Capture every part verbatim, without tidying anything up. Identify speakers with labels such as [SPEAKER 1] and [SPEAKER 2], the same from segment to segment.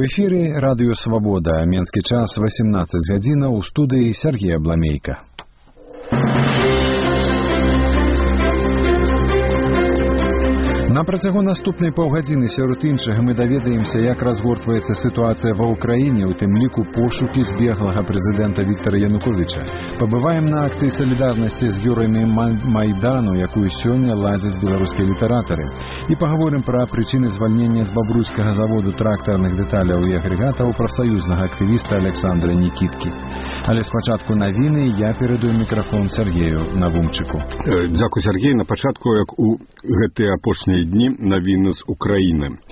[SPEAKER 1] эфире радыё «Свабода». Менскі час восемнадцать гадзінаў, у студыі Сергей Абламейка. На працягу наступнай паўгадзіны сярод іншага мы даведаемся, як разгортваецца сітуацыя ва ўкраіне, у тым ліку пошукі збеглага прэзідэнта Віктара Януковіча. Пабываем на акцыі салідарнасці з героямі Майдану, якую сёння ладзяць беларускія літаратары. І пагаворым пра прычыны звальнення з бабруйскага заводу трактарных дэталяў і агрэгатаў прафсаюзнага актывіста Александра Нікіткі. Але спачатку навіны, я перадаю мікрафон Сергею Навумчыку.
[SPEAKER 2] Дзякуй, Сергей. На пачатку, як у гэтыя апошнія дні, навіны з Украіны.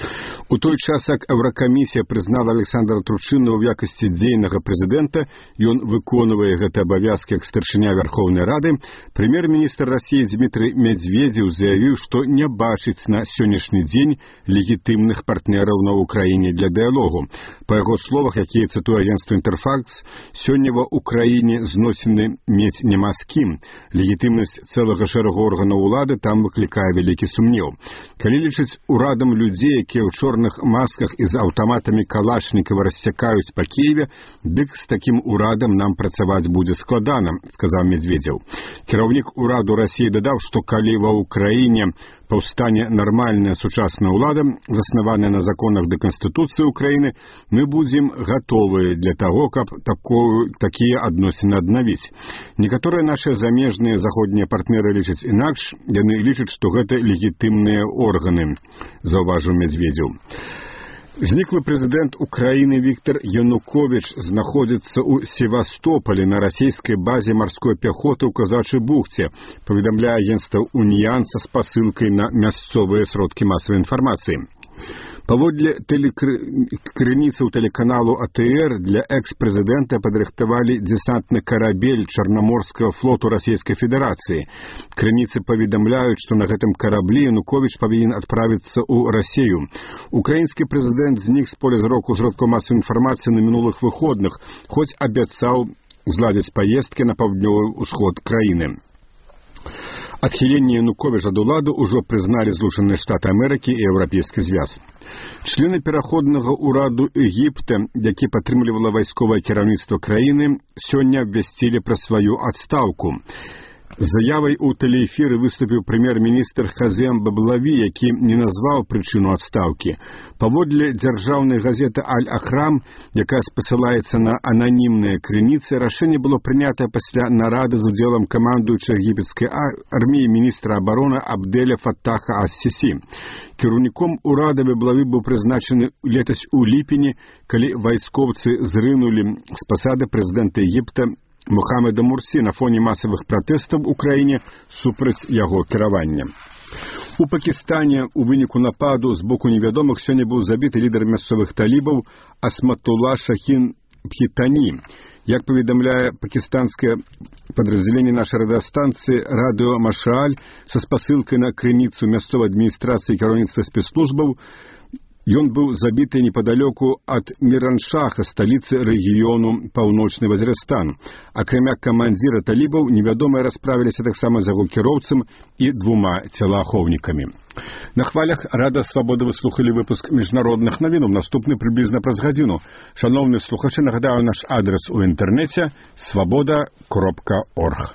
[SPEAKER 2] У той час, як Еўракамісія прызнала Александра Турчынова ў якасці дзейнага прэзідэнта, ён выконвае гэты абавязкі як старшыня Верховнай Рады, прэм'ер-міністр Расіі Дмітрый Медведзеў заявіў, што не бачыць на сённяшні дзень легітымных партнераў на Украіне для дыялогу. Па яго словах, якія цытуе агенцтва «Інтэрфакс», сёння ва Украіне зносіны мець няма з кім. Легітымнасць цэлага шэрагу органаў улады там выклікае вялікі сумнеў. Калі лічыць урадам людзей, якія ў чорных масках і з аўтаматамі Калашнікава рассякаюць па Кіеве, дык з такім урадам нам працаваць будзе складана, сказаў Медведзеў. Кіраўнік ураду Расіі дадаў, што калі ва Ўкраіне паўстане нармальная сучасная ўлада, заснаваная на законах да Канстытуцыі Украіны, мы будзем гатовыя для таго, каб такую, такія адносіны аднавіць. Некаторыя нашыя замежныя заходнія партнеры лічаць інакш, яны лічаць, што гэта легітымныя органы, заўважыў Медведзеў. Зніклы прэзідэнт Украіны Віктар Януковіч знаходзіцца ў Севастополі на расійскай базе марской пяхоты ў Казачай бухце, паведамляе агенцтва «Уніян» са спасылкай на мясцовыя сродкі масавай інфармацыі. Паводле крыніцаў тэлеканалу А Тэ Эр для экс-прэзідэнта падрыхтавалі дэсантны карабель Чарнаморскага флоту Расійскай Федэрацыі. Крыніцы паведамляюць, што на гэтым караблі Януковіч павінен адправіцца ў Расію. Украінскі прэзідэнт знік з поля зроку сродкаў масавай інфармацыі на мінулых выходных, хоць абяцаў зладзіць паездкі на паўднёвы ўсход краіны. Адхіленне Януковіча ад улады ўжо прызналі Злучаныя Штаты Амерыкі і Еўрапейскі звяз. Члены пераходнага ўраду Егіпта, які падтрымлівала вайсковае кіраўніцтва краіны, сёння абвясцілі пра сваю адстаўку. З заявай у тэлеэфіры выступіў прэм'ер-міністр Хазем Баблаві, які не назваў прычыну адстаўкі. Паводле дзяржаўнай газеты «Аль-Ахрам», якая спасылаецца на ананімныя крыніцы, рашэнне было прынятае пасля нарады з удзелам камандуючага егіпецкай арміі міністра абароны Абдэля Фаттаха ас-Сісі. Кіраўніком урада Баблаві быў прызначаны летась у ліпені, калі вайскоўцы зрынулі з пасады прэзідэнта Егіпта Мухаммеда Мурсі на фоне масавых пратэстаў у краіне супраць яго кіравання. У Пакістане у выніку нападу з боку невядомых сёння быў забіты лідар мясцовых талібаў Асматулла Шахін Бхітані. Як паведамляе пакістанскае падраздзяленне нашай радыёстанцыі «Радыё Машааль» са спасылкай на крыніцу мясцовай адміністрацыі кіраўніцтва спецслужбаў, ён быў забіты непадалёку ад Міраншаха, сталіцы рэгіёну Паўночны Вазірыстан. Акрамя камандзіра талібаў, невядомыя расправіліся таксама з яго кіроўцам і двума целаахоўнікамі. На хвалях Рада Свабоды вы слухалі выпуск міжнародных навінаў, наступны прыблізна праз гадзіну. Шановныя слухачы, нагадаю наш адрес у інтэрнэце свабода кропка орг.